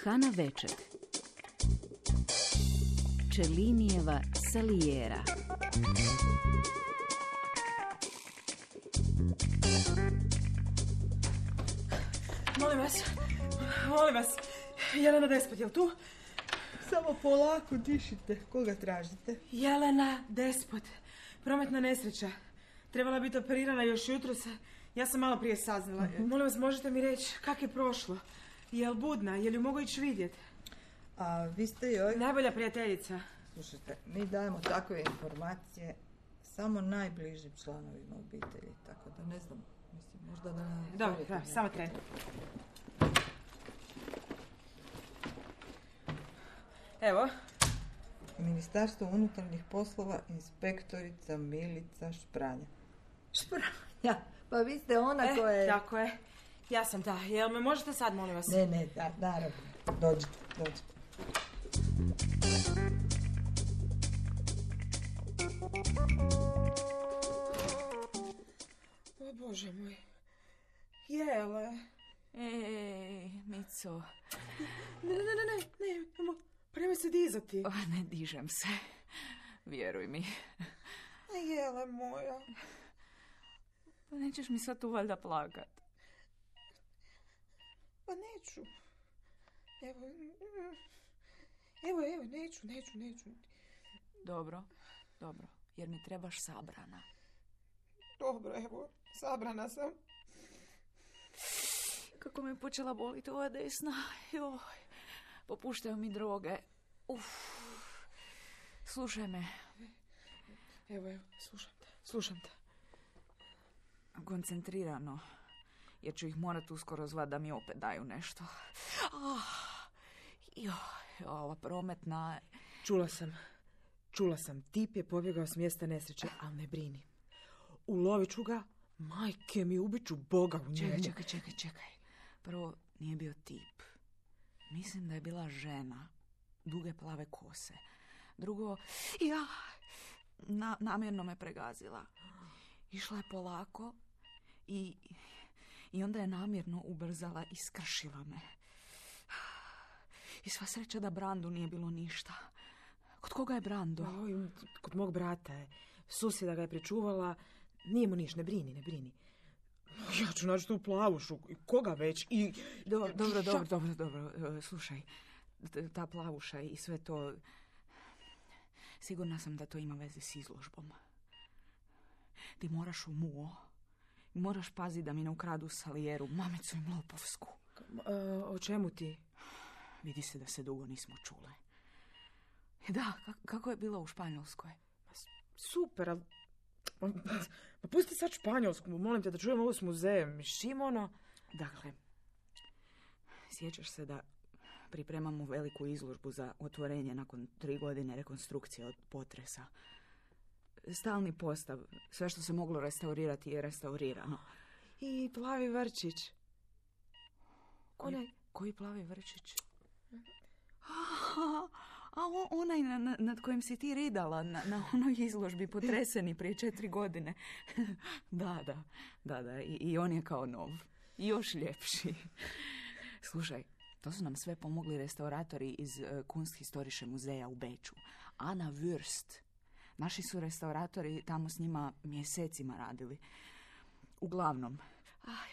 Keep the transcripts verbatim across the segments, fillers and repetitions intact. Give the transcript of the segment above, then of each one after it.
Hana Večer. Čelinijeva Salijera. Molim vas, molim vas, Jelena Despot, je li tu? Samo polako dišite, koga tražite? Jelena Despot, prometna nesreća. Trebala biti operirana još jutros, ja sam malo prije saznala. Uh-huh. Molim vas, možete mi reći kako je prošlo? Je li budna, je li ju mogu ići vidjeti? A vi ste joj... Najbolja prijateljica. Slušajte, mi dajemo takve informacije samo najbližim članovima obitelji, tako da ne znam, mislim, možda da... Dobro, da, samo tren. Evo. Ministarstvo unutarnjih poslova, inspektorica Milica Špranja. Špranja? Pa vi ste ona e, koja je... Tako je. Ja sam ta. Jel me možete sad, molim vas? Ne, ne, da, naravno. Dođite, dođite. O Bože moj. Jele. Ej, Mico. Ne, ne, ne, ne, ne, ne, prema se dizati. O, ne dižem se. Vjeruj mi. Jele moja. Pa nećeš mi sad tu valjda plakat. Pa neću. Evo, evo, evo, neću, neću, neću. Dobro, dobro, jer mi trebaš sabrana. Dobro, evo, sabrana sam. Kako me počela boliti ova desna. Joj, popuštaju mi droge. Uf. Slušaj me. Evo, evo, slušam te, slušam te. Koncentrirano, jer ću ih morat uskoro zvat da mi opet daju nešto. Oh, joj, ova prometna... Čula sam, čula sam. Tip je pobjegao s mjesta nesreće, ali ne brini. Ulovit ću ga, majke mi, ubit ću Boga u njemu. Čekaj, čekaj, čekaj, čekaj. Prvo, nije bio tip. Mislim da je bila žena, duge plave kose. Drugo, ja, na, namjerno me pregazila. Išla je polako i, i onda je namjerno ubrzala i skršila me. I sva sreća da Brandu nije bilo ništa. Kod koga je Brando? Oj, kod mog brata je. Susjeda ga je pričuvala. Nije mu niš, ne brini, ne brini. Ja ću naći tu plavušu. Koga već? I... Do, dobro, dobro, dobro, dobro. Slušaj, ta plavuša i sve to... Sigurna sam da to ima veze s izložbom. Ti moraš u muo. Moraš paziti da mi ne ukradu Salijeru, mamicu i Mlopovsku. E, o čemu ti? Vidi se da se dugo nismo čule. Da, kako je bilo u Španjolskoj? Super, ali... Pa pusti sad Španjolsku, molim te da čujem ovo s muzejem. Šimono... Dakle, sjećaš se da pripremamo veliku izložbu za otvorenje nakon tri godine rekonstrukcije od potresa. Stalni postav, sve što se moglo restaurirati je restaurirano. I plavi vrčić. Koji, onaj... koji plavi vrčić? A, a onaj na, nad kojim si ti ridala na, na onoj izložbi potreseni prije četiri godine. Da, da, da, da. I, i on je kao nov. Još ljepši. Slušaj, to su nam sve pomogli restauratori iz uh, Kunsthistorische muzeja u Beču. Anna Würst. Naši su restauratori tamo s njima mjesecima radili. Uglavnom. Aj,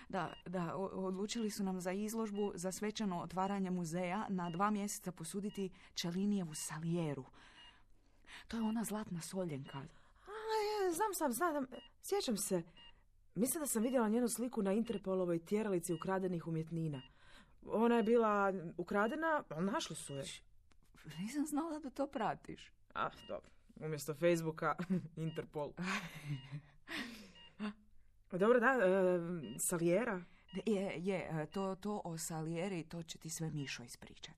Da, da, odlučili su nam za izložbu, za svečano otvaranje muzeja na dva mjeseca posuditi Čelinijevu Salijeru. To je ona zlatna soljenka. A, ja, znam sam, znam, sjećam se. Mislim da sam vidjela njenu sliku na Interpolovoj tjeralici ukradenih umjetnina. Ona je bila ukradena, ali našli su je. Nisam znala da to pratiš. Ah, dobro. Umjesto Facebooka, Interpol. Dobro, da, e, Salijera? Je, je, to, to o Salijeri, to će ti sve Mišo ispričat.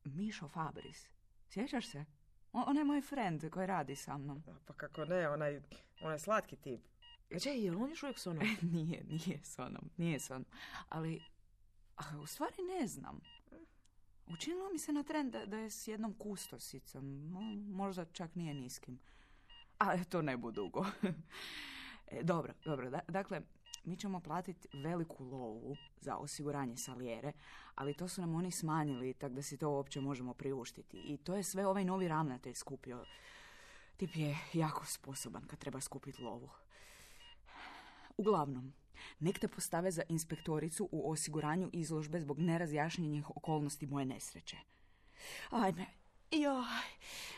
Mišo Fabris, sjećaš se? On, on je moj friend koji radi sa mnom. Pa kako ne, onaj, onaj slatki tip. Če, je li on još uvijek s onom? nije, nije s onom, nije s onom. Ali, a, u stvari ne znam. Učinilo mi se na tren da, da je s jednom kustosicom, možda čak nije niskim. A to ne bu dugo. E, dobro, dobro, da, dakle, mi ćemo platiti veliku lovu za osiguranje Salijere, ali to su nam oni smanjili, tako da si to uopće možemo priuštiti. I to je sve ovaj novi ravnatelj skupio. Tip je jako sposoban kad treba skupiti lovu. Uglavnom, nek te postave za inspektoricu u osiguranju izložbe zbog nerazjašnjenih okolnosti moje nesreće. Ajme, joj,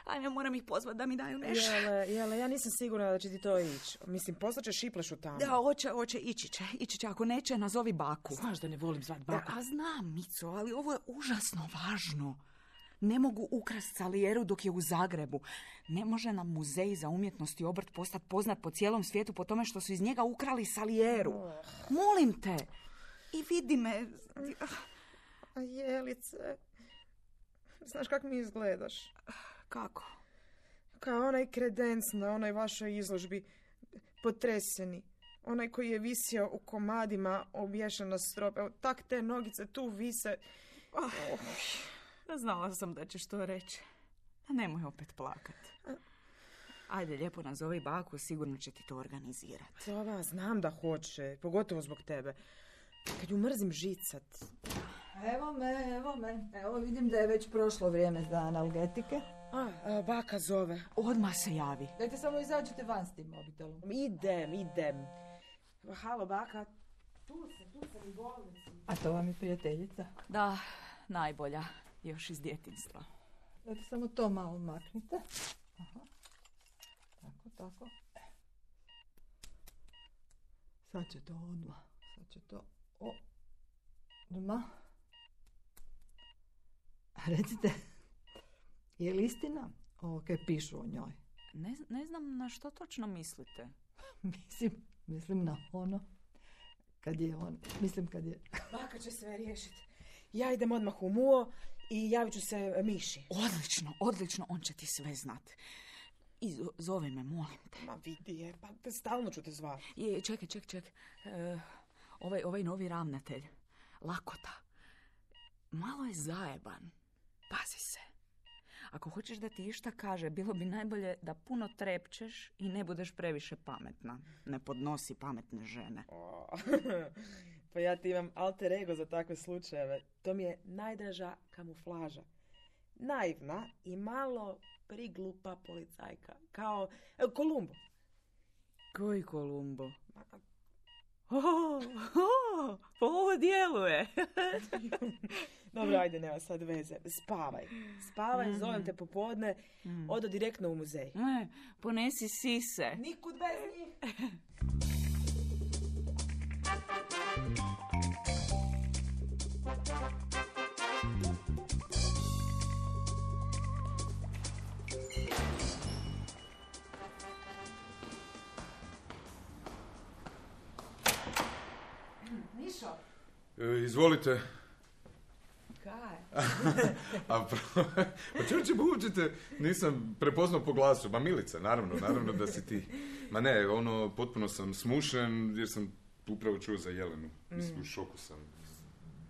ajme, moram ih pozvati da mi daju nešto. Jele, jele, ja nisam sigurna da će ti to ići. Mislim, poslaće šiplešu tamo. Da, hoće, hoće, ići će, ići će. Ako neće, nazovi baku. Znaš da ne volim zvat baku. Da, a znam, Mico, ali ovo je užasno važno. Ne mogu ukrasti Salijeru dok je u Zagrebu. Ne može nam muzej za umjetnost i obrt postati poznat po cijelom svijetu po tome što su iz njega ukrali Salijeru. Molim te. I vidi me. A Jelice, znaš kak mi izgledaš? Kako? Kao onaj kredenc na onoj vašoj izložbi. Potreseni. Onaj koji je visio u komadima obješan na strop. Evo, tak te nogice tu vise. Oh. Znala sam da ćeš to reći. Nemoj opet plakati. Ajde, lijepo nazovi baku, sigurno će ti to organizirati. Ova, znam da hoće, pogotovo zbog tebe. Kad ju mrzim žicat. Evo me, evo me. Evo vidim da je već prošlo vrijeme za analgetike. A, a baka zove. Odmah se javi. Dajte samo izađite van s tim mobitelom. Idem, idem. Halo, baka. Tu sam, tu sam u bolnici. A to vam je prijateljica? Da, najbolja. Još iz djetinjstva. Dajte samo to malo maknite. Aha. Tako, tako. Sad će to odmah. Sad će to odmah. Recite, je li istina ovo kaj pišu o njoj? Ne, ne znam na što točno mislite. Mislim, mislim na ono. Kad je on, mislim kad je... Baka će sve riješiti. Ja idem odmah u muo i javit ću se Miši. Odlično, odlično, on će ti sve znat. I zove me, molim te. Ma vidi je, pa te stalno ću te zvati. Je, čekaj, čekaj, čekaj. E, ovaj, ovaj novi ravnatelj, Lakota, malo je zajeban. Pazi se. Ako hoćeš da ti išta kaže, bilo bi najbolje da puno trepčeš i ne budeš previše pametna. Ne podnosi pametne žene. Oh. Pa ja ti imam alter ego za takve slučajeve. To mi je najdraža kamuflaža. Naivna i malo priglupa policajka. Kao e, Kolumbo. Koji Kolumbo? Oh, oh, pa ovo djeluje. Dobro, ajde, nema sad veze. Spavaj. Spavaj, mm. zovem te popodne. Mm. Odo direktno u muzej. Ne, ponesi sise. Nikud bez njih. Mišo? E, izvolite. Kaj? A pa čuće bučite, nisam prepoznao po glasu. Ma Milica, naravno, naravno da si ti. Ma ne, ono, potpuno sam smušen jer sam upravo čuo za Jelenu. Mislim, u šoku sam.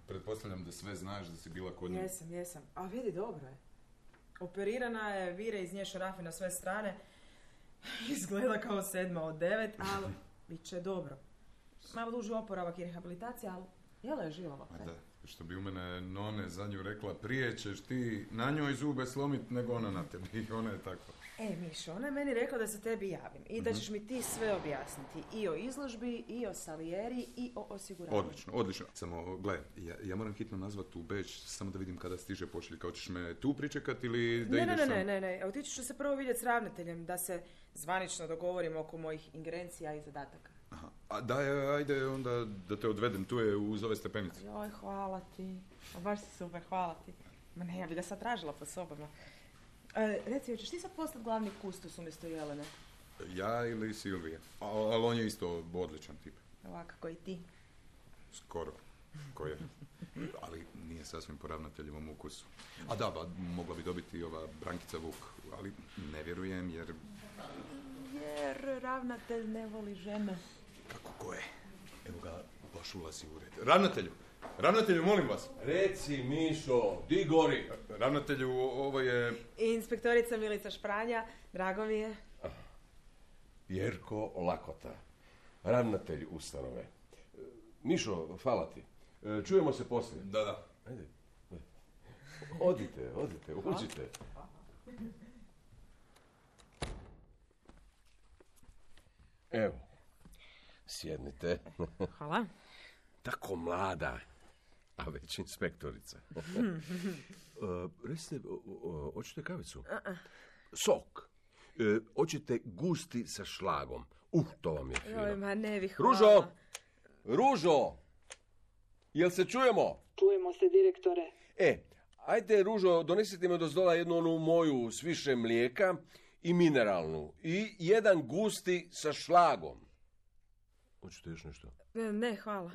Pretpostavljam da sve znaš, da si bila kod nje. Jesam, jesam. A vidi, dobro je. Operirana je, vire iz nje šarafi na sve strane. Izgleda kao sedma od devet, ali bit će dobro. Malo duži oporavak i rehabilitacija, ali jela je žilava. Ma da, što bi u mene none za nju rekla, prije ćeš ti na njoj zube slomit nego ona na tebi. I ona je tako. E, Mišo, ona je meni rekla da se tebi javim i da ćeš mi ti sve objasniti. I o izložbi, i o Salijeri, i o osiguranju. Odlično, odlično. Samo, gle, ja, ja moram hitno nazvat u Beč, samo da vidim kada stiže pošalje. Kao ćeš me tu pričekati ili da ne, ideš ne, sam? Ne, ne, ne, otići ću se prvo vidjeti s ravnateljem, da se zvanično dogovorimo oko mojih ingerencija i zadataka. Aha. A daj, ajde onda da te odvedem, tu je uz ove stepenice. Joj, hvala ti. A baš si super, hvala ti. Ma ne, ja bi ga sad tražila po sobama. E, reci, hoćeš ti sad postati glavni kustos umjesto Jelene? Ja ili Silvija. Ali on je isto odličan tip. Ovako i ti. Skoro. Ko je? Ali nije sasvim po ravnateljevom ukusu. A da, ba, mogla bi dobiti ova Brankica Vuk, ali ne vjerujem jer... Jer ravnatelj ne voli žene. Kako ko je? Evo ga, baš ulazi u red. Ravnatelju! Ravnatelju, molim vas! Reci, Mišo, di gori? Ravnatelju, ovo je... Inspektorica Milica Špranja, drago mi je. Jerko Lakota, ravnatelj ustanove. Mišo, hvala ti. E, čujemo se poslije. Da, da. Ajde. Odite, odite, uđite. Evo, sjednite. Hvala. Tako mlada, a već inspektorica. uh, recite, hoćete kavicu? Sok. Uh, hoćete gusti sa šlagom. Uh, to vam je fino. Joj, ma ne bih, hvala. Ružo! Ružo! Jel se čujemo? Čujemo se, direktore. E, ajde, Ružo, donesite mi dozdola jednu onu moju s više mlijeka i mineralnu. I jedan gusti sa šlagom. Hoćete još nešto? Ne, hvala.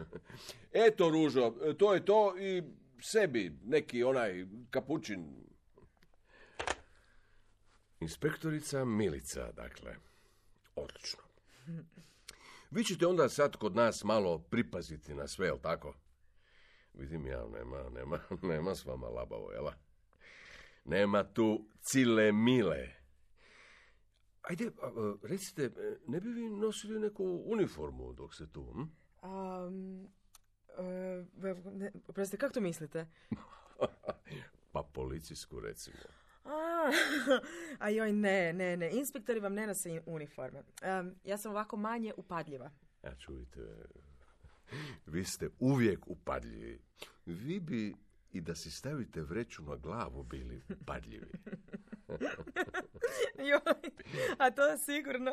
Eto, Ružo, to je to i sebi neki onaj kapućin. Inspektorica Milica, dakle. Odlično. Vi ćete onda sad kod nas malo pripaziti na sve, jel tako? Vidim ja, nema, nema, nema s vama labavo, jela? Nema tu cile mile. Ajde, recite, ne bi vi nosili neku uniformu dok ste tu, hm? Um, uh, Oprostite, kako to mislite? Pa policijsku, recimo. A, a joj, ne, ne, ne. Inspektori vam ne nose uniforme. Um, ja sam ovako manje upadljiva. Ja, čujte, vi ste uvijek upadljivi. Vi bi i da si stavite vreću na glavu bili upadljivi. Joj, a to sigurno.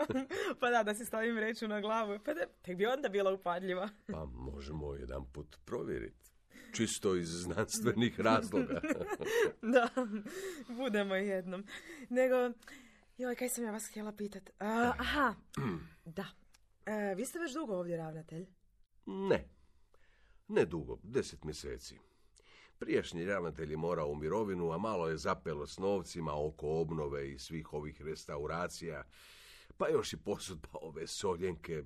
Pa da, da si stavim vreću na glavu. Pa da, tek bi onda bila upadljiva. Pa možemo jedan put provjeriti. Čisto iz znanstvenih razloga. Da, budemo jednom. Nego, joj, kaj sam ja vas htjela pitat? Uh, aha, da. Uh, vi ste već dugo ovdje ravnatelj? Ne, ne dugo, deset mjeseci. Prijašnji ravnatelj je morao u mirovinu, a malo je zapelo s novcima oko obnove i svih ovih restauracija, pa još i posudba ove soljenke.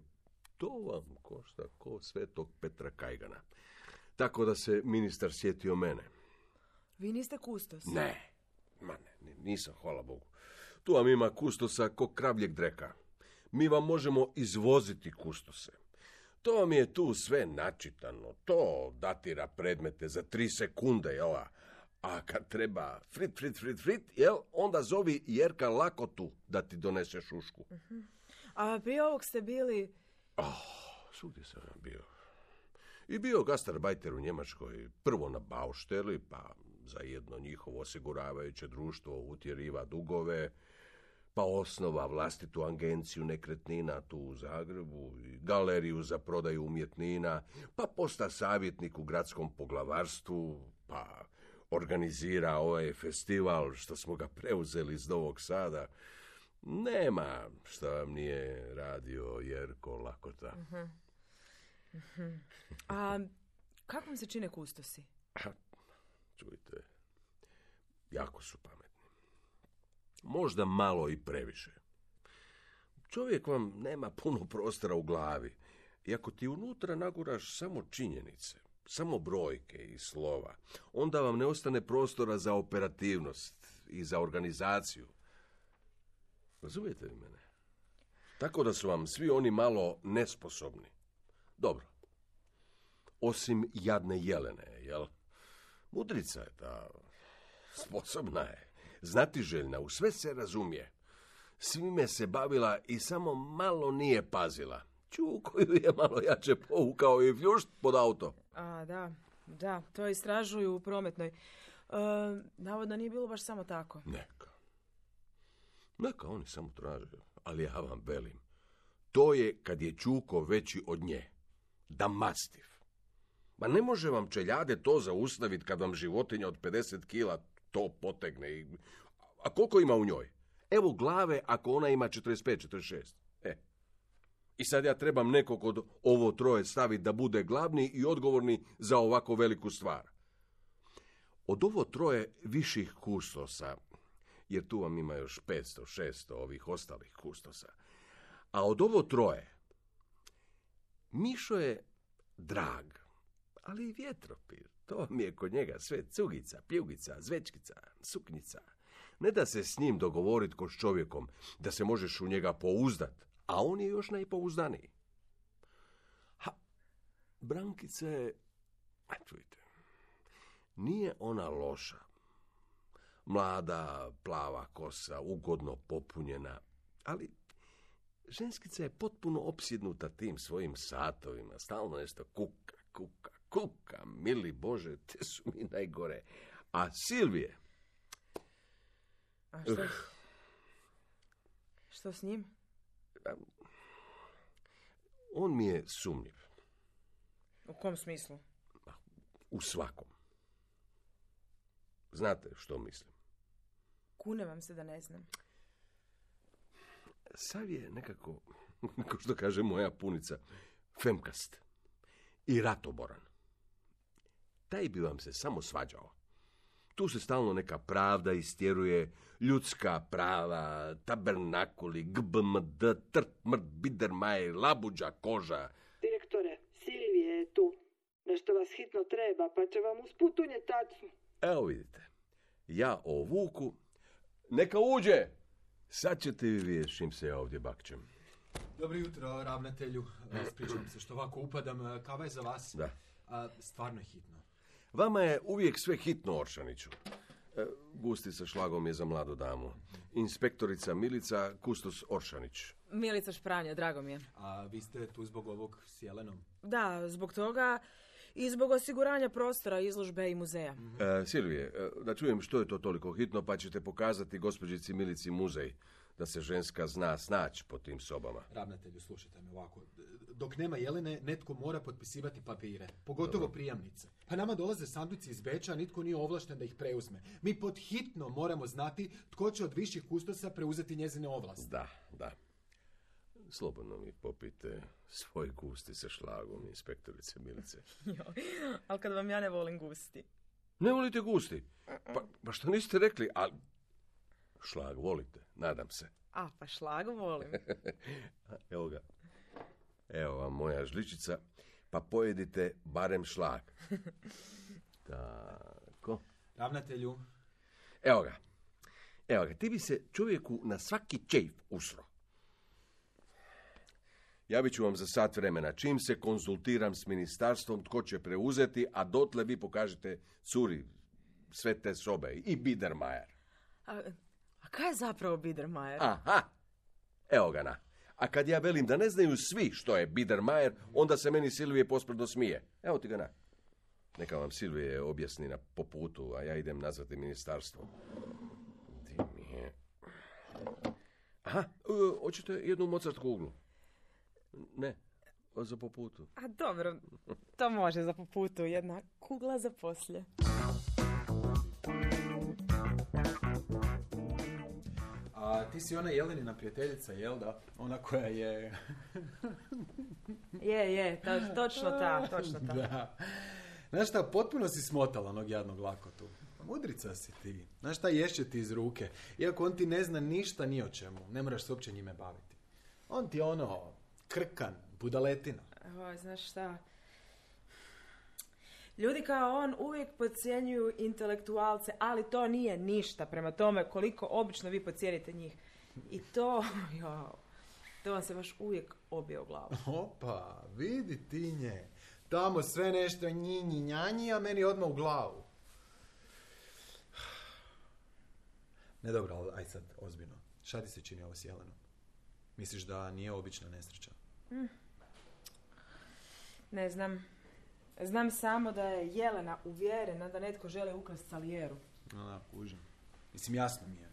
To vam košta ko Svetog Petra Kajgana. Tako da se ministar sjetio mene. Vi niste kustos? Ne, ma ne, nisam, hvala Bogu. Tu vam ima kustosa ko kravljeg dreka. Mi vam možemo izvoziti kustose. To vam je tu sve načitano. To datira predmete za tri sekunde, jel? A kad treba frit, frit, frit, frit, jel? Onda zovi Jerka Lakotu da ti donese šušku. Uh-huh. A prije ovog ste bili... Oh, svugdje sam bio. I bio gastarbajter u Njemačkoj, prvo na Bausteli, pa za jedno njihovo osiguravajuće društvo utjeriva dugove, pa osnova vlastitu agenciju nekretnina tu u Zagrebu, i galeriju za prodaju umjetnina, pa posta savjetnik u gradskom poglavarstvu, pa organizira ovaj festival što smo ga preuzeli iz Novog Sada. Nema što vam nije radio Jerko Lakota. Uh-huh. Uh-huh. A kako vam se čine kustosi? Čujte, jako su pametni. Možda malo i previše. Čovjek vam nema puno prostora u glavi. I ako ti unutra naguraš samo činjenice, samo brojke i slova, onda vam ne ostane prostora za operativnost i za organizaciju. Razumijete li mene? Tako da su vam svi oni malo nesposobni. Dobro. Osim jadne Jelene, jel? Mudrica je ta, sposobna je, znatiželjna, u sve se razumije. Svime se bavila i samo malo nije pazila. Ču koju je malo jače povukao i vljušt pod auto. A, da, da, to istražuju u prometnoj. E, navodno nije bilo baš samo tako. Neka. Neka oni samo traže, ali ja vam velim. To je kad je Čuko veći od nje. Da mastiv. Ma ne može vam čeljade to zaustaviti kad vam životinja od pedeset kila to potegne. I... A koliko ima u njoj? Evo glave ako ona ima četrdeset pet četrdeset šest. E. I sad ja trebam nekog od ovo troje staviti da bude glavni i odgovorni za ovako veliku stvar. Od ovo troje viših kustosa, jer tu vam ima još petsto šesto ovih ostalih kustosa, a od ovo troje, Mišo je drag, ali i vjetropir. To vam je kod njega sve cugica, pljugica, zvečkica, suknjica. Ne da se s njim dogovoriti ko s čovjekom, da se možeš u njega pouzdat, a on je još najpouzdaniji. Ha, Brankica je, a čujte, nije ona loša. Mlada, plava kosa, ugodno popunjena, ali ženskica je potpuno opsjednuta tim svojim satovima, stalno nešto kuka, kuka, kuka, mili Bože, te su mi najgore. A Silvije... A što, uh, što s njim? On mi je sumnjiv. U kom smislu? U svakom. Znate što mislim? Kune vam se da ne znam. Sav je nekako, kao što kaže moja punica, femkast i ratoboran. Taj bi vam se samo svađao. Tu se stalno neka pravda istjeruje, ljudska prava, tabernakuli, G B M D, trt, mrt, bidermajer, labuđa, koža. Direktore, Silvije je tu. Nešto vas hitno treba, pa će vam usput unijeti tacu. Evo vidite, ja o Vuku, neka uđe. Sad ćete vi vidjeti s čim se ja ovdje bakćem. Dobro jutro, ravnatelju. Ispričavam se što ovako upadam. Kava je za vas? Da. A, stvarno je hitno. Vama je uvijek sve hitno, Oršaniću. E, gusti sa šlagom je za mladu damu. Inspektorica Milica, kustos Oršanić. Milica Špranja, drago mi je. A vi ste tu zbog ovog s Jelenom? Da, zbog toga i zbog osiguranja prostora, izložbe i muzeja. Mm-hmm. E, Silvije, da čujem što je to toliko hitno, pa ćete pokazati gospođici Milici muzej, da se ženska zna snaći po tim sobama. Ravnatelju, slušajte me ovako. Dok nema Jelene, netko mora potpisivati papire. Pogotovo Dobro. prijamnice. Pa nama dolaze sanduci iz Beča, a nitko nije ovlašten da ih preuzme. Mi pod hitno moramo znati tko će od viših kustosa preuzeti njezine ovlasti. Da, da. Slobodno mi popite svoj gusti sa šlagom, inspektorice Milice. Ali kad vam ja ne volim gusti. Ne volite gusti? Pa, pa što niste rekli, ali šlag volite, nadam se. A, pa šlag volim. Evo ga. Evo vam moja žličica, pa pojedite barem šlag. Tako. Ravnatelju. Evo ga. Evo ga, ti bi se čovjeku na svaki čejf usro. Javit ću vam za sat vremena. Čim se konzultiram s ministarstvom tko će preuzeti, a dotle vi pokažete curi sve te sobe i Biedermajer. A, a kaj je zapravo Biedermajer? Aha, evo ga na. A kad ja velim da ne znaju svi što je Biedermajer, onda se meni Silvije posprdno smije. Evo ti ga na. Neka vam Silvije objasni na po putu, a ja idem nazvati ministarstvo. Di mi je... Aha, uh, hoćete jednu Mozart kuglu? Ne, za po putu. A dobro, to može za po putu, jedna kugla za poslije. A ti si ona Jelenina prijateljica, jel da? Ona koja je... je, je, to, točno ta, točno ta. Da. Znaš šta, potpuno si smotala onog jadnog lakotu. Mudrica si ti. Znaš šta, ješće ti iz ruke. Iako on ti ne zna ništa ni o čemu, ne moraš se uopće njime baviti. On ti je ono, krkan, budaletina. Oj, znaš šta... Ljudi kao on uvijek podcjenjuju intelektualce, ali to nije ništa prema tome koliko obično vi podcijenite njih. I to, jo, to vam se baš uvijek obije u glavu. Opa, vidi ti nje. Tamo sve nešto njinji njanji, a meni odmah u glavu. Ne dobro, ali aj sad, ozbiljno. Šta ti se čini ovo s Jelenom? Misliš da nije obična nesreća? Mm. Ne znam. Znam samo da je Jelena uvjerena da netko želi ukrasti Salijeru. No, da, kužim. Mislim, jasno mi je.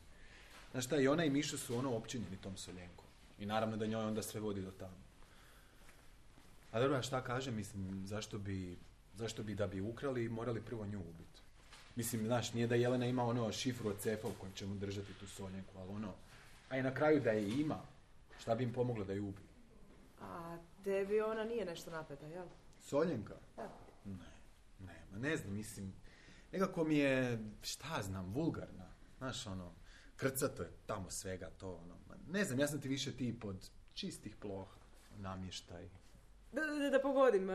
Znaš šta, i ona i Mišo su ono općinjeni tom Soljenkom. I naravno da njoj onda sve vodi do tamo. A dobro, a šta kažem, mislim, zašto bi, zašto bi da bi ukrali morali prvo nju ubiti? Mislim, znaš, nije da Jelena ima ono šifru od cefa u kojem ćemo držati tu Soljenku, ali ono, a i na kraju da je ima, šta bi im pomoglo da ju ubiju? A tebi ona nije nešto napeta, jel? Soljenka? Da. Ne, ne, ma ne znam, mislim, nekako mi je, šta znam, vulgarna. Znaš, ono, krcato je tamo svega to, ono, ma ne znam, ja sam ti više tip od čistih ploha, namještaj. Da, da, da pogodim,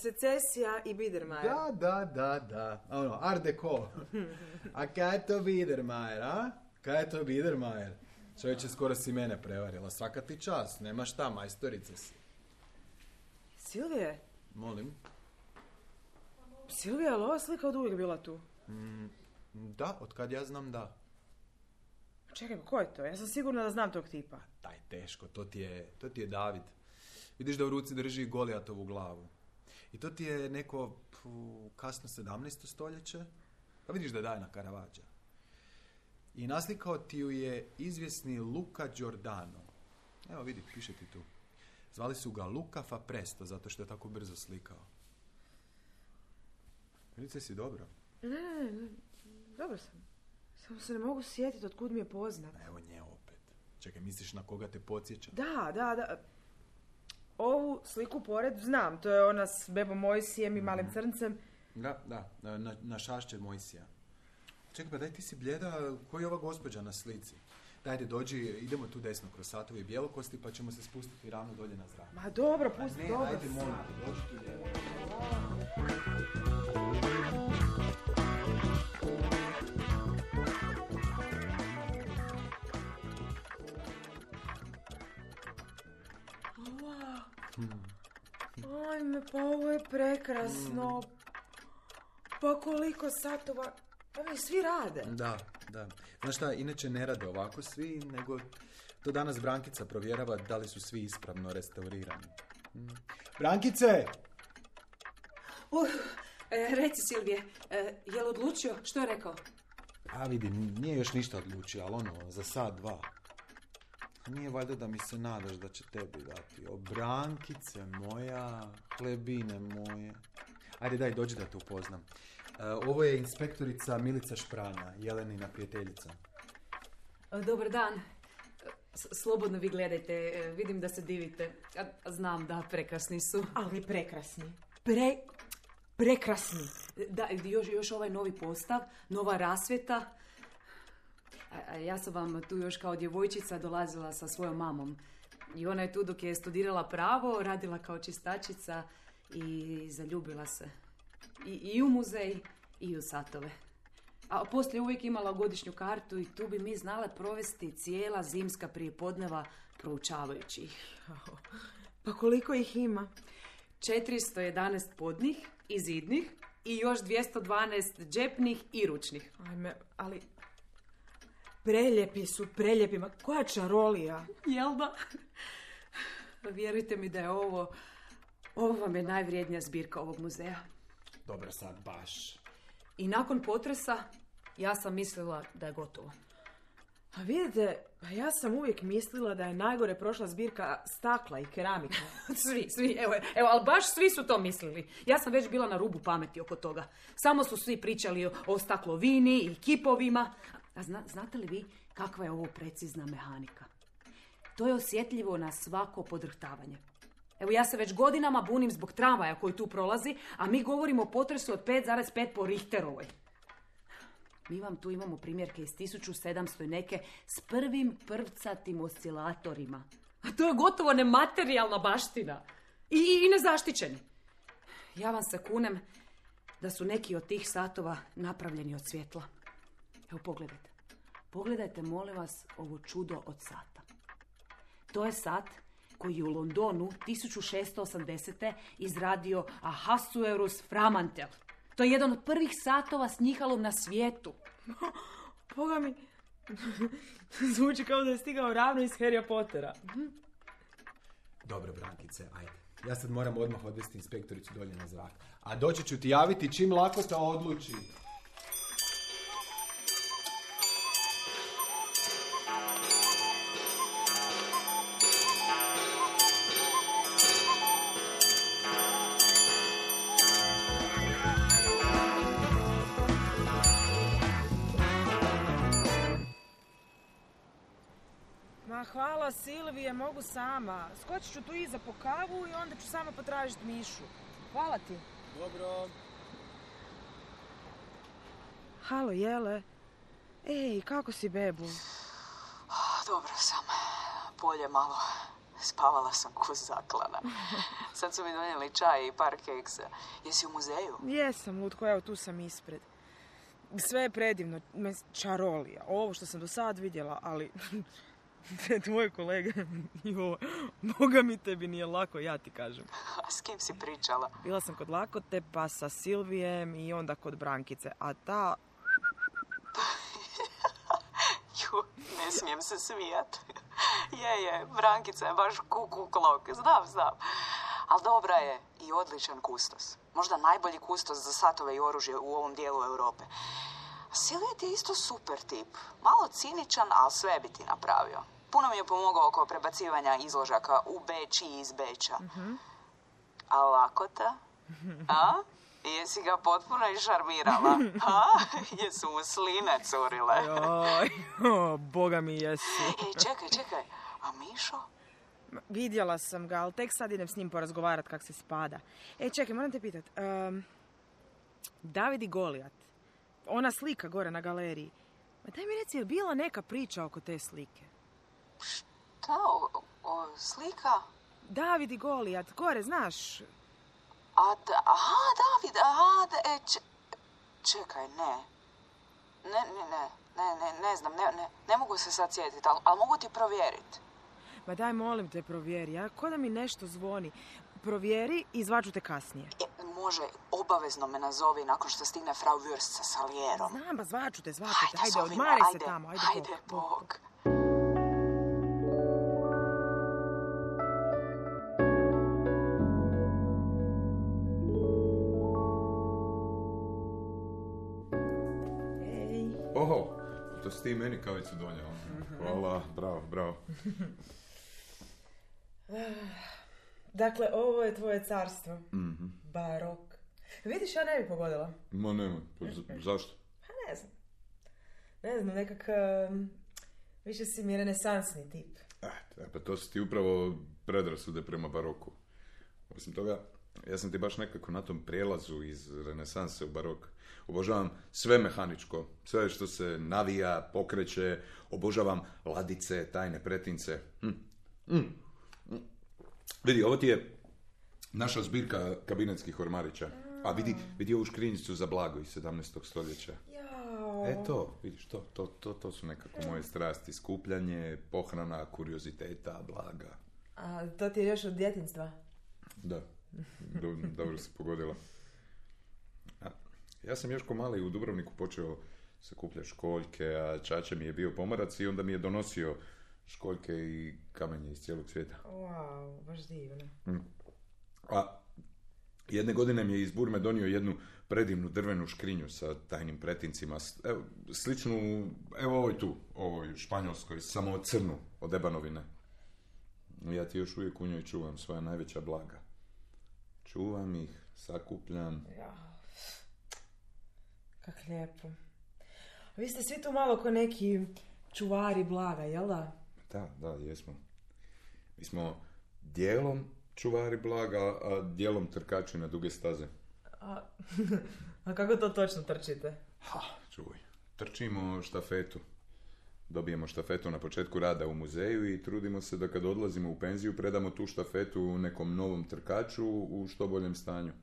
secesija i Biedermajer. Da, da, da, da, ono, art deco. A kaj je to Biedermajer, a? Kaj je to Biedermajer? Čovječe, skoro si mene prevarila, svaka ti čast, nema šta, majstorica si. Silvije, Molim? Silvija, je li ova slika od uvijek bila tu? Mm, da, od kad ja znam da. Čekaj, ko je to? Ja sam sigurna da znam tog tipa. Daj, teško, to ti je, to ti je David. Vidiš da u ruci drži Golijatovu glavu. I to ti je neko pu, kasno sedamnaesto stoljeće. Pa vidiš da daje na Caravaggio. I naslikao ti ju je izvjesni Luca Giordano. Evo vidi, piše ti tu. Zvali su ga Luca fa presto, zato što je tako brzo slikao. Vidite si dobro. Ne, ne, ne, dobro sam. Samo se ne mogu sjetiti od kud mi je poznat. Evo nje opet. Čekaj, misliš na koga te podsjeća? Da, da, da. Ovu sliku pored znam, to je ona s bebom Mojsijem i malim crncem. Da, da, na, na šašće Mojsija. Čekaj, pa daj, ti si bljeda, koji je ova gospođa na slici? Dajde, dođi, idemo tu desno kroz satove i bjelokosti, pa ćemo se spustiti ravno dolje na zrak. Ma dobro, pusti, ne, dobro. ajde, molim te, dođi tu lijevo. Ajme, pa ovo je prekrasno. Mm. Pa koliko satova. Pa mi svi rade. Da, da. Znaš šta, inače ne rade ovako svi, nego to danas Brankica provjerava da li su svi ispravno restaurirani. Mm. Brankice! Uh, e, reci Silvije, e, je li odlučio? Što je rekao? A vidi, nije još ništa odlučio, ali ono, za sat, dva. Nije valjda da mi se nadaš da će tebi dati. O, Brankice moja, hlebine moje. Ajde, daj, dođi da te upoznam. E, ovo je inspektorica Milica Špranja, Jelenina prijateljica. Dobar dan. S- slobodno vi gledajte, vidim da se divite. A, znam da, prekrasni su. Ali prekrasni. Pre... Prekrasni. Da, još, još ovaj novi postav, nova rasvjeta. A, a ja sam vam tu još kao djevojčica dolazila sa svojom mamom. I ona je tu dok je studirala pravo, radila kao čistačica i zaljubila se. I, i u muzej, i u satove. A poslije uvijek imala godišnju kartu i tu bi mi znale provesti cijela zimska prijepodneva proučavajući ih. Pa koliko ih ima? četiristo jedanaest podnih i zidnih i još dvjesto dvanaest džepnih i ručnih. Ajme, ali... Preljepi su, preljepi, ma koja čarolija. Jel da? Vjerujte mi da je ovo, ovo vam je najvrijednija zbirka ovog muzeja. Dobro sad, baš. I nakon potresa ja sam mislila da je gotovo. A vidite, ja sam uvijek mislila da je najgore prošla zbirka stakla i keramike. Svi, svi, evo, evo, ali baš svi su to mislili. Ja sam već bila na rubu pameti oko toga. Samo su svi pričali o, o staklovini i kipovima. A zna, znate li vi kakva je ovo precizna mehanika? To je osjetljivo na svako podrhtavanje. Evo, ja se već godinama bunim zbog tramvaja koji tu prolazi, a mi govorimo o potresu od pet zarez pet po Richterovoj. Mi vam tu imamo primjerke iz tisuću sedamsto i neke s prvim prvcatim oscilatorima. A to je gotovo nematerijalna baština. I, i, i nezaštićeni. Ja vam se kunem da su neki od tih satova napravljeni od svjetla. Evo, pogledajte. Pogledajte, molim vas, ovo čudo od sata. To je sat koji je u Londonu tisuću šesto osamdesete izradio Ahasuerus Framantel. To je jedan od prvih satova s njihalom na svijetu. Boga mi, zvuči kao da je stigao ravno iz Harrya Pottera. Dobro, Brankice, ajde. Ja sad moram odmah odvesti inspektoricu dolje na zrak. A doći ću ti javiti čim Lakota odluči. Ma hvala Silvije, mogu sama. Skočit ću tu iza po kavu i onda ću sama potražiti Mišu. Hvala ti. Dobro. Halo, Jele. Ej, kako si, bebu? Dobro sam. Polje malo. Spavala sam ko zaklana. Sad su mi donijeli čaj i par keksa. Jesi u muzeju? Jesam, lutko, evo tu sam ispred. Sve je predivno, čarolija. Ovo što sam do sad vidjela, ali Tvoje kolege, jo, Boga mi tebi nije lako, ja ti kažem. A s kim si pričala? Bila sam kod Lakote, pa sa Silvijem i onda kod Brankice, a ta... Ju, ne smijem se smijat. Je, je, Brankica je baš kuku klok, znam, znam. Ali dobra je i odličan kustos. Možda najbolji kustos za satove i oružje u ovom dijelu Europe. Silvija ti je isto super tip. Malo ciničan, ali sve bi ti napravio. Puno mi je pomogao oko prebacivanja izložaka u Beč i iz Beča. Uh-huh. A Lakota? A? Jesi ga potpuno išarmirala? A? Jesu mu sline curile? Joj, o, Boga mi jesu. E, čekaj, čekaj. A Mišo? Vidjela sam ga, ali tek sad idem s njim porazgovarat kak se spada. E, čekaj, moram te pitat. Um, David i Golijat. Ona slika gore na galeriji. Ma daj mi reci, je bila neka priča oko te slike? Šta? O, o, slika? David i Golijat, gore, znaš? A, da, aha, David, aha, da, e, č, čekaj, ne. Ne, ne, ne, ne, ne, ne znam, ne, ne, ne mogu se sad sjetiti, ali al mogu ti provjeriti. Ma daj, molim te, provjeri, a ko da mi nešto zvoni. Provjeri i zvaću te kasnije. E, može, obavezno me nazovi nakon što stigne Frau Würst sa Salierom. Znam, ba, zvaću te, zvaću te, Ajde, ajde, Zovina, odmaraj ajde, se tamo, ajde, ajde, bok, bok. bok. Oho, to si ti meni kavicu donijela. Hvala, bravo, bravo. Dakle, ovo je tvoje carstvo. Mm-hmm. Barok. Vidiš, ja ne bi pogodila. Ma nema, pa z- zašto? Pa ne znam. Ne znam, nekak... Um, više si mi renesansni tip. Eh, pa to su ti upravo predrasude prema baroku. Osim toga, ja sam ti baš nekako na tom prijelazu iz renesanse u barok. Obožavam sve mehaničko, sve što se navija, pokreće, obožavam ladice, tajne pretince. Hm. Hm. Hm. Vidi, ovo ti je naša zbirka kabinetskih ormarića. A vidi, vidi ovu škrinjicu za blago iz sedamnaestog stoljeća. Jao. E to, vidiš, to, to, to, to su nekako moje strasti. Skupljanje, pohrana, kurioziteta, blaga. A to ti je još od djetinjstva? Da, Do, dobro si pogodila. A, ja sam još ko mali u Dubrovniku počeo sakupljati školjke, a čača mi je bio pomarac i onda mi je donosio školjke i kamenje iz cijelog svijeta. Wow, baš divno. Mm. A jedne godine mi je iz Burme donio jednu predivnu drvenu škrinju sa tajnim pretincima. Evo, sličnu, evo ovoj tu, ovoj španjolskoj, samo crnu od ebanovine. Ja ti još uvijek u njoj čuvam svoja najveća blaga. Čuvam ih, sakupljam. Ja. Kak lijepo. Vi ste svi tu malo ko neki čuvari blaga, jel da? Da, da, jesmo. Mi smo dijelom čuvari blaga, a dijelom trkači na duge staze. A, a kako to točno trčite? Ha, čuj. Trčimo štafetu. Dobijemo štafetu na početku rada u muzeju i trudimo se da kad odlazimo u penziju predamo tu štafetu nekom novom trkaču u što boljem stanju.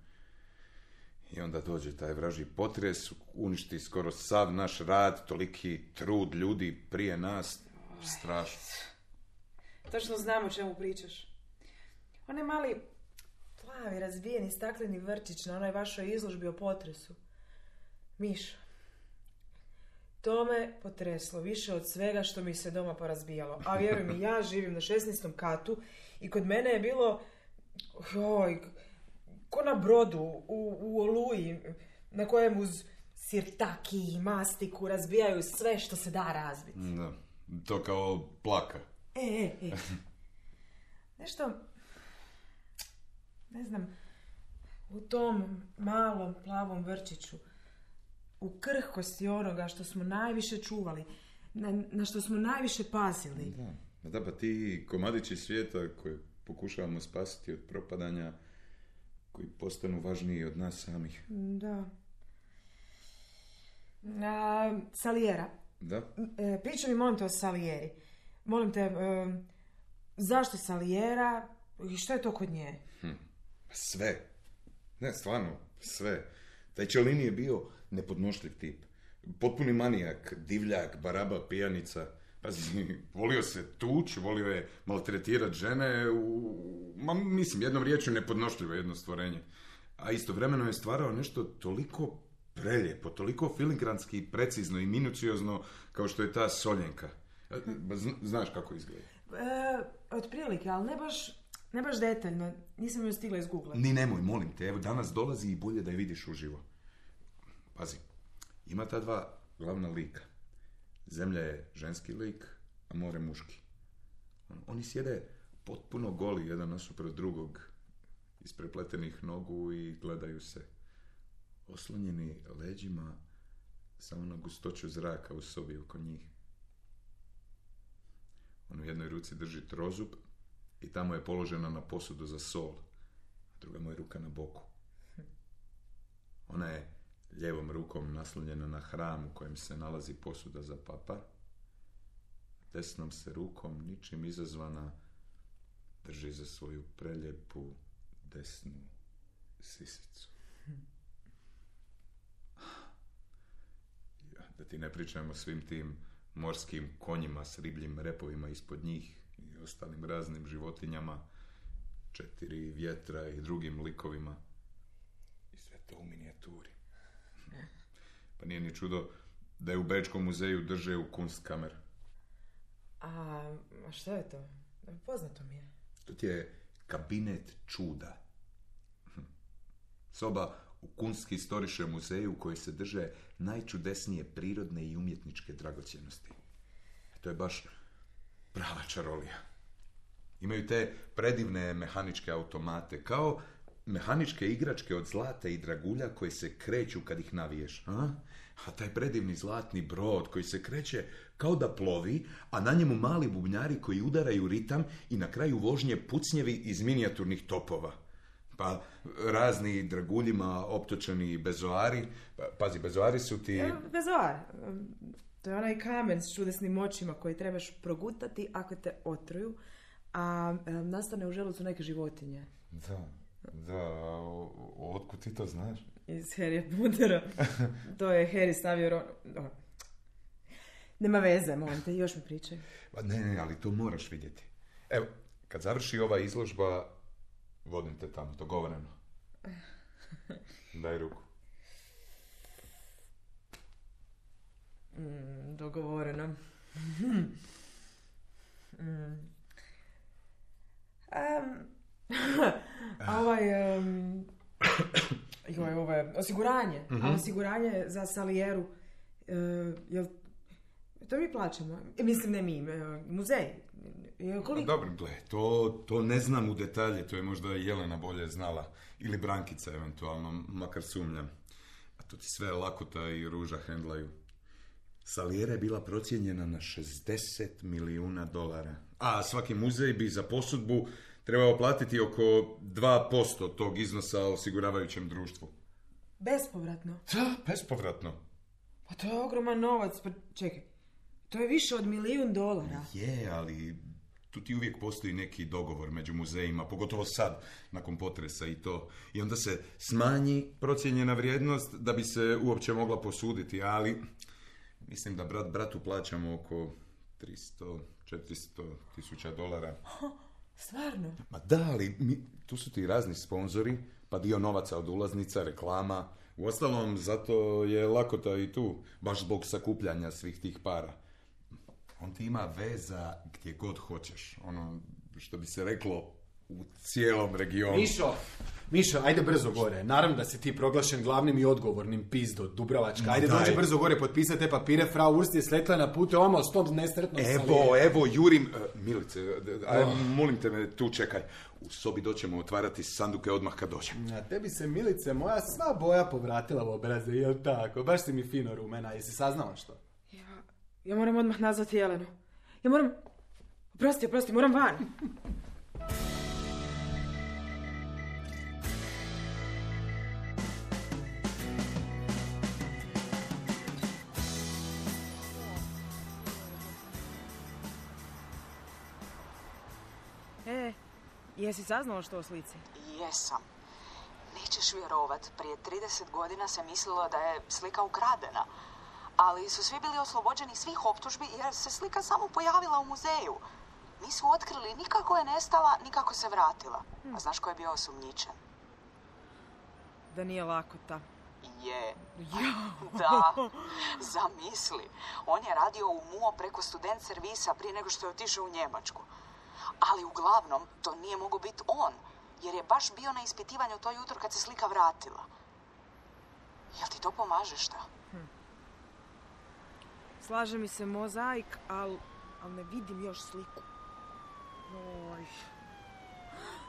I onda dođe taj vražji potres, uništi skoro sav naš rad, toliki trud ljudi prije nas. Strašno. Točno znam o čemu pričaš. Onaj mali plavi, razbijeni stakleni vrčić na onoj vašoj izložbi o potresu. Mišo, to me potreslo više od svega što mi se doma porazbijalo. A vjeruj mi, ja živim na šesnaestom katu i kod mene je bilo joj, ko na brodu u, u Oluji na kojem uz sirtaki i mastiku razbijaju sve što se da razbiti. Da, to kao plaka. E, e, e. Nešto, ne znam, u tom malom plavom vrčiću, u krhkosti onoga što smo najviše čuvali, na, na što smo najviše pazili. Da, da, pa ti komadići svijeta koje pokušavamo spasiti od propadanja, koji postanu važniji od nas samih. Da. A, Saliera. Da? E, pričaj mi, molim te, o Salieri. Molim te, e, zašto Saliera i što je to kod nje? Hm. Sve. Ne, stvarno, sve. Taj Cellini je bio nepodnošljiv tip. Potpuni manijak, divljak, baraba, pijanica. Pa Pazi, volio se tuć, volio je maltretirat žene, u, ma, mislim, jednom riječju nepodnošljivo jedno stvorenje. A istovremeno je stvarao nešto toliko prelijepo, toliko filigranski, precizno i minuciozno kao što je ta Soljenka. Znaš kako izgleda? E, otprilike, ali ne baš, ne baš detaljno. Nisam ju stigla izgooglati. Ni nemoj, molim te, evo danas dolazi i bolje da je vidiš uživo. Pazi, ima ta dva glavna lika. Zemlja je ženski lik, a more muški. Oni sjede potpuno goli jedan nasuprot drugog, isprepletenih nogu i gledaju se. Oslonjeni leđima samo na gustoću zraka u sobi oko njih. On u jednoj ruci drži trozub i tamo je položena na posudu za sol, a druga mu je ruka na boku. Ona je lijevom rukom naslonjena na hram u kojem se nalazi posuda za papar. Desnom se rukom, ničim izazvana, drži za svoju prelijepu desnu sisicu. Da ti ne pričamo o svim tim morskim konjima s ribljim repovima ispod njih i ostalim raznim životinjama, četiri vjetra i drugim likovima. I sve to u minijaturi. Pa nije ni čudo da je u Bečkom muzeju drže u Kunstkamer. A, a što je to? Poznato mi je. To ti je kabinet čuda. Soba u Kunsthistorische muzeju u kojoj se drže najčudesnije prirodne i umjetničke dragocjenosti. To je baš prava čarolija. Imaju te predivne mehaničke automate, kao mehaničke igračke od zlata i dragulja koje se kreću kad ih naviješ. A? A taj predivni zlatni brod koji se kreće kao da plovi, a na njemu mali bubnjari koji udaraju ritam i na kraju vožnje pucnjevi iz minijaturnih topova. Pa razni draguljima optočeni bezoari. Pa, pazi, bezoari su ti... Ja, bezoar. To je onaj kamen s čudesnim očima koji trebaš progutati ako te otruju, a e, nastane u želucu neke životinje. Da, da, otkud ti to znaš? Iz Harryja Pottera. To je Harry stavio... Ro... Oh. Nema veze, molim te, još mi pričaj. Pa ne, ne, ali to moraš vidjeti. Evo, kad završi ova izložba, vodim te tamo, dogovoreno. Daj ruku. Mm, dogovoreno. mm. um, a ovaj... Um, joj, ovo je osiguranje. Mm-hmm. A osiguranje za Salijeru, uh, jel... To mi plaćamo. Mislim, ne mi, muzej. Koliko... Dobro, gle, to, to ne znam u detalje, to je možda Jelena bolje znala. Ili Brankica, eventualno, makar sumnjam. A to ti sve lakota i ruža hendlaju. Salijera je bila procijenjena na šezdeset milijuna dolara. A svaki muzej bi za posudbu trebao platiti oko dva posto tog iznosa osiguravajućem društvu. Bespovratno? Da, bespovratno. Pa to je ogroman novac. Pa čekaj, to je više od milijun dolara. Je, ali tu ti uvijek postoji neki dogovor među muzejima, pogotovo sad, nakon potresa i to. I onda se smanji procijenjena vrijednost da bi se uopće mogla posuditi, ali mislim da brat bratu plaćamo oko tristo do četiristo tisuća dolara. Stvarno? Ma da, ali mi, tu su ti razni sponzori, pa dio novaca od ulaznica, reklama. Uostalom, zato je lakota i tu, baš zbog sakupljanja svih tih para. On ti ima veza gdje god hoćeš. Ono, što bi se reklo, u cijelom regionu. Mišo, Mišo, ajde brzo gore. Naravno da si ti proglašen glavnim i odgovornim, pizdo, Dubravačka. Ajde dođi brzo gore, potpisati te papire, frau Urst je sletla na putu, oma s tom nesretnom Evo, Salijerom. evo, jurim. Uh, Milice, aj, oh. molim te me, tu čekaj. U sobi doćemo otvarati sanduke odmah kad dođem. A tebi se, Milice, moja sva boja povratila u obraze, jel tako? Baš si mi fino rumena, jesi saznala što? Ja, ja moram odmah nazvati Jelenu. Ja moram... Oprosti, oprosti, moram van. E, jesi saznala što o slici? Jesam. Nećeš vjerovat, prije trideset godina se mislilo da je slika ukradena. Ali su svi bili oslobođeni svih optužbi jer se slika samo pojavila u muzeju. Nisu otkrili ni kako je nestala, ni kako se vratila. A znaš ko je bio osumnjičen? Da nije Lakota. Je. Da. Zamisli. On je radio u M U O preko student servisa prije nego što je otišao u Njemačku. Ali uglavnom to nije mogao biti on, jer je baš bio na ispitivanju to jutro kad se slika vratila. Jel ti to pomaže šta? Hm. Slaže mi se mozaik, ali al ne vidim još sliku. Oj.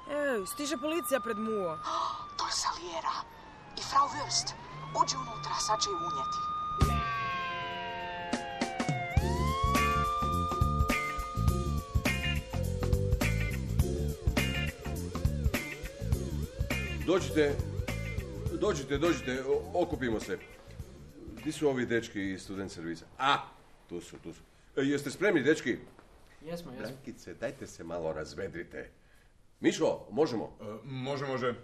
Ej, stiže policija pred M U O. To je Saliera. I Frau Wurst. Uđi unutra, sad će ju unijeti. Dođite, dođite, dođite, okupimo se. Gdje su ovi dečki iz student servisa? A, tu su, tu su. E, jeste spremni, dečki? Jesmo, jesmo. Brankice, dajte se malo razvedrite. Mišo, možemo? Uh, može, može.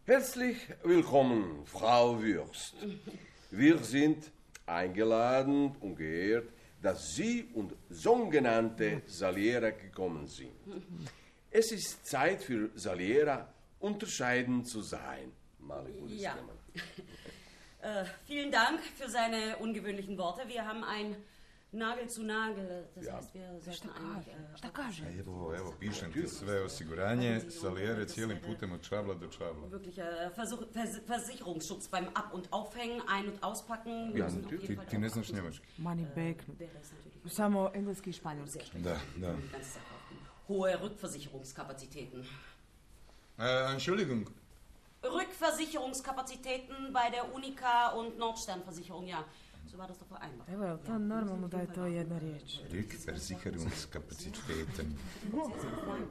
Herzlich willkommen, Frau Wurst. Wir sind eingeladen und geehrt, dass Sie und sogenannte Saliera gekommen sind. Es ist Zeit für Saliera, unterscheiden zu sein. Mali ja. äh, vielen Dank für seine ungewöhnlichen Worte. Wir haben ein Nagel zu Nagel. Das ja. heißt, wir sollten eigentlich... Äh, Šta kaže? Evo, evo, pišem ti sve osiguranje, Saliere cijelim putem od čabla do čabla. Wirklicher Versuch, Vers, Versicherungsschutz beim Ab- und Aufhängen, Ein- und Auspacken. Ja, ti, ti ne znaš njemački. Mani beknut. Samo engleski i španjolski. Da, da. Hohe Rückversicherungskapazitäten. Äh, Entschuldigung. Rückversicherungskapazitäten bei der Unica und Nordsternversicherung, ja. So war das doch vereinbart. Evo, je to normalno da je to jedna riječ? Rückversicherungskapazitäten.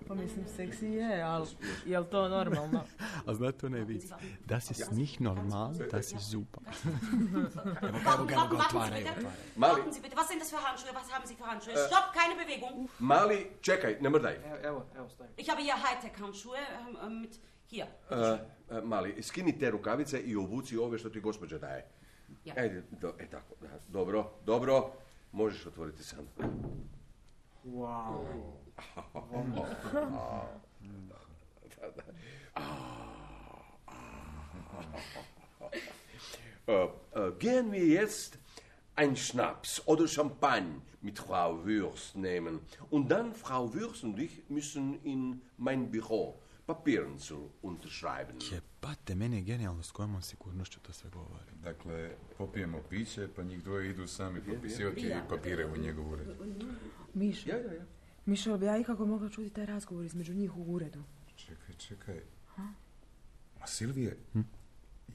Pa mislim, seksi je, ali je li to normalno? A znate onaj vic? Das ist nicht normal, das ist super. Evo, evo, evo, ga otvaraju, otvaraju. Warten Sie bitte, was sind das für Handschuhe? Was haben Sie für Handschuhe? Stopp, keine Bewegung. Mali, čekaj, ne mrdaj. Evo, evo, stavim. Ich habe hier Hightech-Handschuhe ähm, mit... Hier. Uh, uh, mali, skini te rukavice i obuci ove što ti gospođa daje. Ja. Ajde, do, e tako, da, dobro, dobro, možeš otvoriti sam. Wow. Gehen wir jetzt ein Schnaps oder Champagne mit Frau Wurst nehmen und dann Frau Wurst und ich müssen in mein Büro Papieren zu unterschreiben. Jebate, meni je genijalno s kojom on sigurnošću to sve govori. Dakle, popijemo piće, pa njih dvoje idu sami popisivati papire u njegov ured. Mišo, Ja, ja, ja. Mišo, bi ja ikako mogla čuti taj razgovor između njih u uredu? Čekaj, čekaj. Ha? Ma Silvije, hm?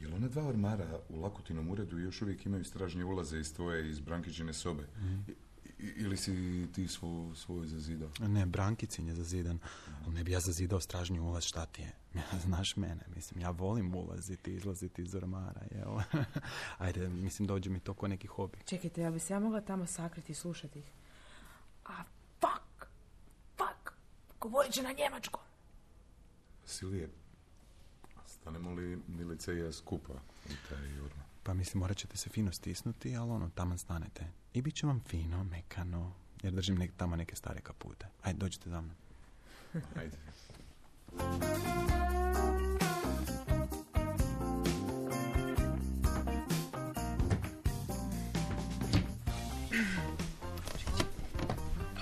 jel ona dva ormara u Lakutinom uredu još uvijek imaju stražnje ulaze iz tvoje, iz Brankićine sobe? Mm. I, ili si ti svoju, svoju zazidao? Ne, Brankicin je zazidan. Ali ne bi ja zazidao stražnji ulaz, šta ti je? Znaš mene, mislim, ja volim ulaziti, izlaziti iz ormara, jel? Ajde, mislim, dođe mi to ko neki hobi. Čekajte, ja bi se ja mogla tamo sakriti i slušati ih. A, fuck! Fuck! Govorit će na njemačkom. Silvije, stanemo li Milica i ja skupa u taj ormar? Pa mislim, morat ćete se fino stisnuti, ali ono, taman stanete. I bit će vam fino, mekano, jer držim nek, tamo neke stare kapute. Ajde, dođite za mnom. Ajde.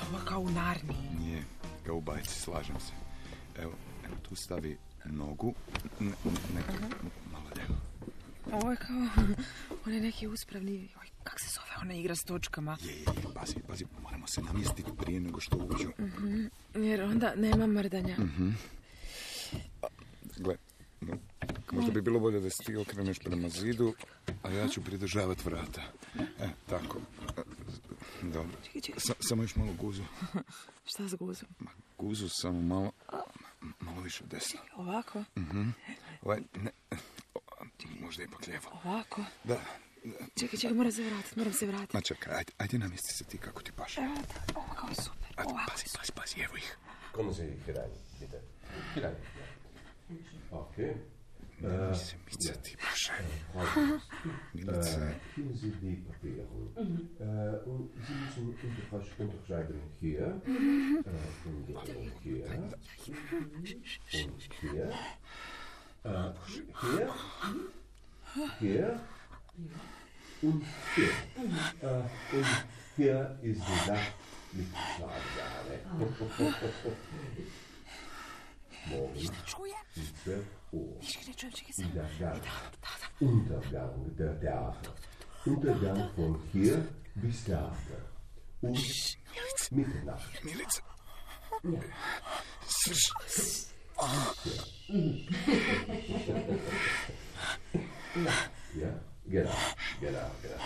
Ovo kao u Narniji. Nije, kao u bajci, slažem se. Evo, evo tu stavi nogu, ne, ne, malo devo. Ovo je kao onaj neki uspravni, oj, kak se zove ona igra s točkama? Je, je, je, pazi, pazi, moramo se namjestiti prije nego što uđu. Mm-hmm, jer onda nema mrdanja. Mm-hmm. Gle, možda bi bilo bolje da se ti okreneš prema zidu, a ja ću pridržavati vrata. E, tako. Dobro. Čekaj, čekaj. Sa, samo još malo guzu. Šta s guzom? Ma, guzu samo malo, malo više desno. Ovako? Mhm. Ovaj, ne, možda ipak lijevo. Ovako? Da. da. Čekaj, čekaj, moram se vratiti, moram se vratiti. Ma čekaj, ajde, ajde namjesti se ti kako ti paše. Evo, da, ovo kao super. Ajde, Ovako. pazi, pazi, pazi, evo ih. Kommen Sie hier rein, bitte. Hier rein. Okay. Nemoj se micati, Bože. Milice. Hier sind die Papiere. Äh, und Sie müssen untersch- unterschreiben hier, äh, und hier, und hier, äh, hier, hier und hier. Äh, und hier ist die Sache mit Schlagsahne. Morgen um zwölf Uhr. In der Gang. Untergang der Theater. Untergang von hier bis Theater. Und Mitternacht. Milice. Ja. Ja, genau, genau, genau.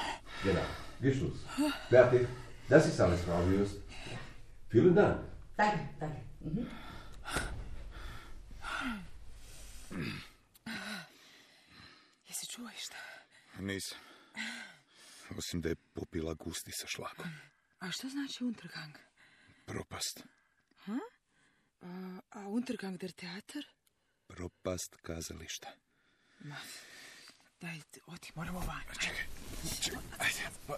Genau. Geschluss. Fertig. Das ist alles, Frau Würst. Vielen Dank. Danke, danke. Mhm. Jesi čuo išta? Nisam. Osim da je popila gusti sa šlagom. A što znači Untergang? Propast. Ha? A, a Untergang der Theater? Propast kazališta. Ma, daj, odi, moramo van. Čekaj, čekaj, ajde. Pa...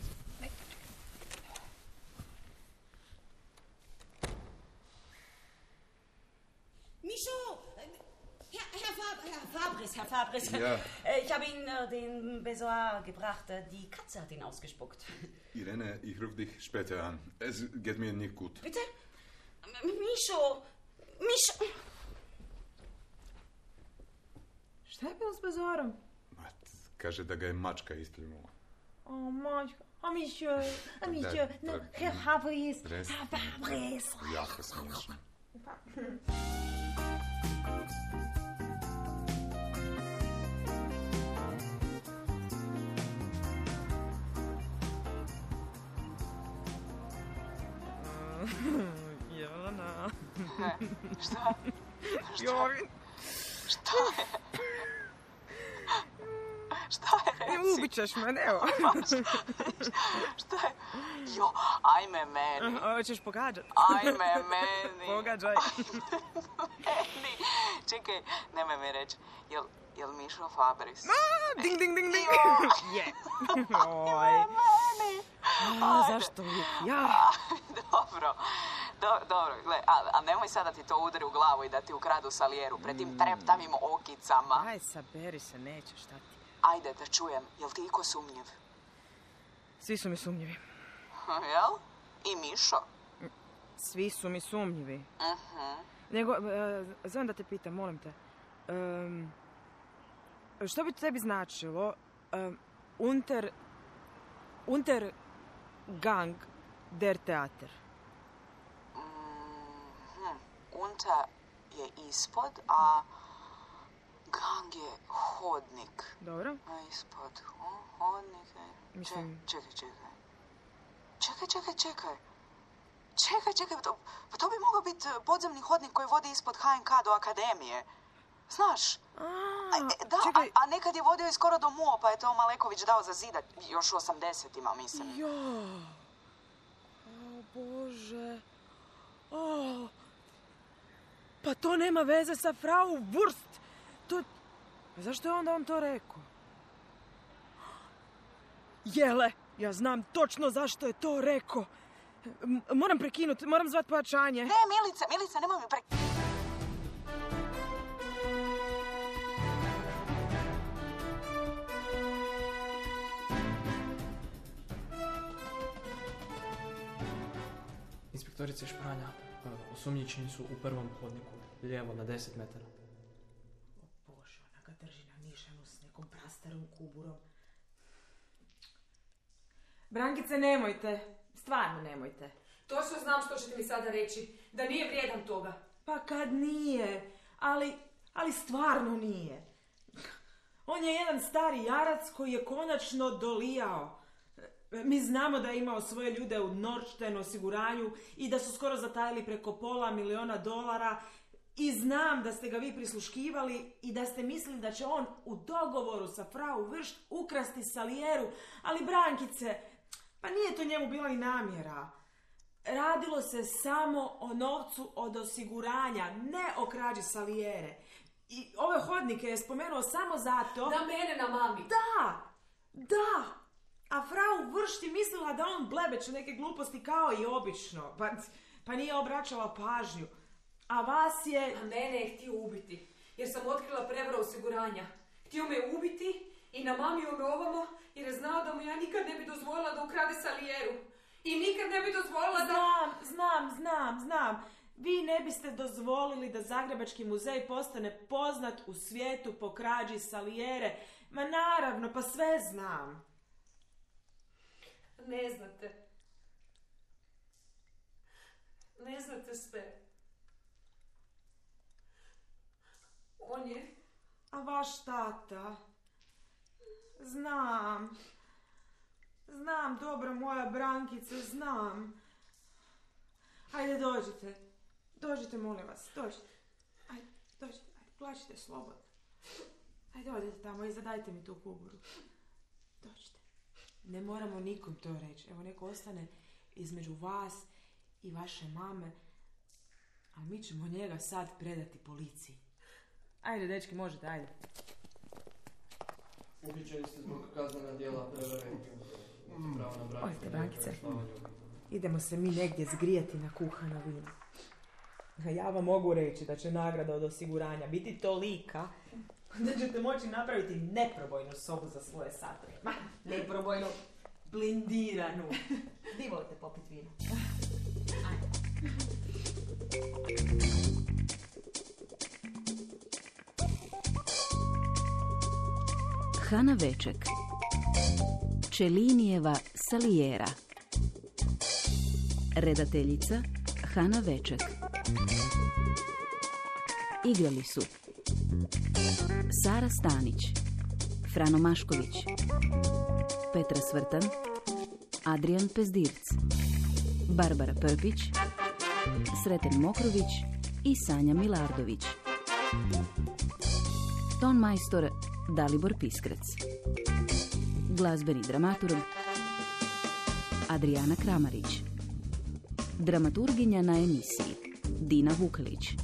Micho! Herr, Herr, Fab, Herr Fabris, Herr Fabris. Ja. Ich habe Ihnen äh, den Besoir gebracht. Die Katze hat ihn ausgespuckt. Irene, ich rufe dich später an. Es geht mir nicht gut. Bitte? Micho! Micho! Šta je bilo s Bezorom? Mat, kaže da ga je mačka istljumila. O, mačka. A Micho, a Micho, no, Herr Fabris, Herr Fabris. Jako smiješno. Jelena. Šta? Šta? Joj. Šta je? Šta je, reci? Ubit ćeš me, evo. Šta je? Jo, ajme meni. Hoćeš pogađat? Ajme meni. Pogađaj. Meni. Čekaj, nemoj mi reći. Jel, jel Mišo Fabris? A, ding, ding, ding, ding. Je. Oj. Meni. A, zašto uvijek ja? Dobro. Do, dobro, gle, a, a nemoj sada ti to udari u glavu i da ti ukradu Salijeru pred tim treptavim okicama. Aj, saberi se, neće, šta ti? Ajde da čujem, jel ti iko sumnjiv? Svi su mi sumnjivi. Jel? I Mišo? Svi su mi sumnjivi. Uh-huh. Nego, uh, zovem da te pitam, molim te. Um, što bi tebi značilo um, unter, unter gang der Theater? Mm-hmm. Unta je ispod, a gang je hodnik. Dobro. A ispod, o, hodnik je... Mislim... Čekaj, čekaj. Čekaj, čekaj, čekaj. Čekaj, čekaj, to, pa to bi mogao biti podzemni hodnik koji vodi ispod H N K do akademije. Znaš? A, a, da, a, a nekad je vodio i skoro do M U O, pa je to Maleković dao za zidat. Još u osamdesetima, mislim. Jo. O, Bože. O. Pa to nema veze sa Frau Wurst. To... Pa zašto je onda on to rekao? Jele, ja znam točno zašto je to rekao. M- moram prekinuti, moram zvat pojačanje. Ne, Milice, Milice, nemoj mi prekinuti. Inspektorice Špranja, osumnjičeni su u prvom hodniku, lijevo na deset metara. O Bože, ona ga drži na nišanu s nekom prastarom kuburom. Brankice, nemojte. Stvarno nemojte. Točno znam što ćete mi sada reći. Da nije vrijedan toga. Pa kad nije. Ali, ali stvarno nije. On je jedan stari jarac koji je konačno dolijao. Mi znamo da je imao svoje ljude u Nordstein osiguranju i da su skoro zatajili preko pola miliona dolara. I znam da ste ga vi prisluškivali i da ste mislili da će on u dogovoru sa Frau Wurst ukrasti Salijeru. Ali Brankice, pa nije to njemu bila i namjera. Radilo se samo o novcu od osiguranja, ne o krađi Salijere. I ove hodnike je spomenuo samo zato... Da mene na mami. Da! Da! A frau Vršti mislila da on blebeće neke gluposti kao i obično. Pa, pa nije obraćala pažnju. A vas je... A mene je htio ubiti. Jer sam otkrila prevaru osiguranja. Htio me ubiti i namamio me ovamo jer je znao da mu ja nikad ne bi dozvolila da ukrade Salijeru. I nikad ne bi dozvolila da... Znam, znam, znam, znam. Vi ne biste dozvolili da Zagrebački muzej postane poznat u svijetu po krađi Salijere. Ma naravno, pa sve znam. Ne znate. Ne znate sve. On je... A vaš tata? Znam. Znam, dobro, moja Brankice, znam. Ajde, dođite. Dođite, molim vas, dođite. Ajde, dođite, ajde, plačite slobodno. Ajde, odite tamo i zadajte mi tu kuburu. Dođite. Ne moramo nikom to reći. Evo, neko ostane između vas i vaše mame. A mi ćemo njega sad predati policiji. Ajde, dečki, možete, ajde. Uhićeni ste zbog kaznena djela prevare. Ojte, Brankice. Idemo se mi negdje zgrijati na kuhano vino. A ja vam mogu reći da će nagrada od osiguranja biti tolika da ćete moći napraviti neprobojnu sobu za svoje satove. Ma, neprobojnu, blindiranu. Vi volite popit vino. Ajde. Hana Veček, Čelinijeva Salijera. Redateljica Hana Veček. Igrali su Sara Stanić, Frano Mašković, Petra Svrtan, Adrian Pezdirc, Barbara Prpić, Sreten Mokrović i Sanja Milardović. Ton majstor Dalibor Piskrec. Glazbeni dramaturg Adriana Kramarić. Dramaturginja na emisiji Dina Vukelić.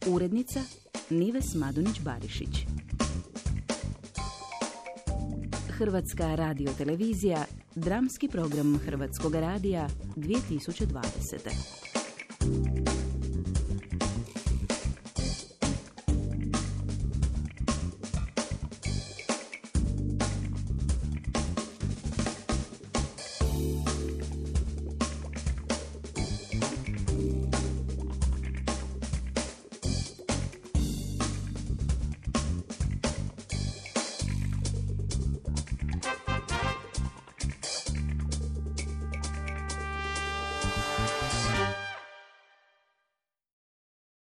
Urednica Nives Madunić-Barišić. Hrvatska radiotelevizija, dramski program Hrvatskog radija dvije tisuće dvadesete.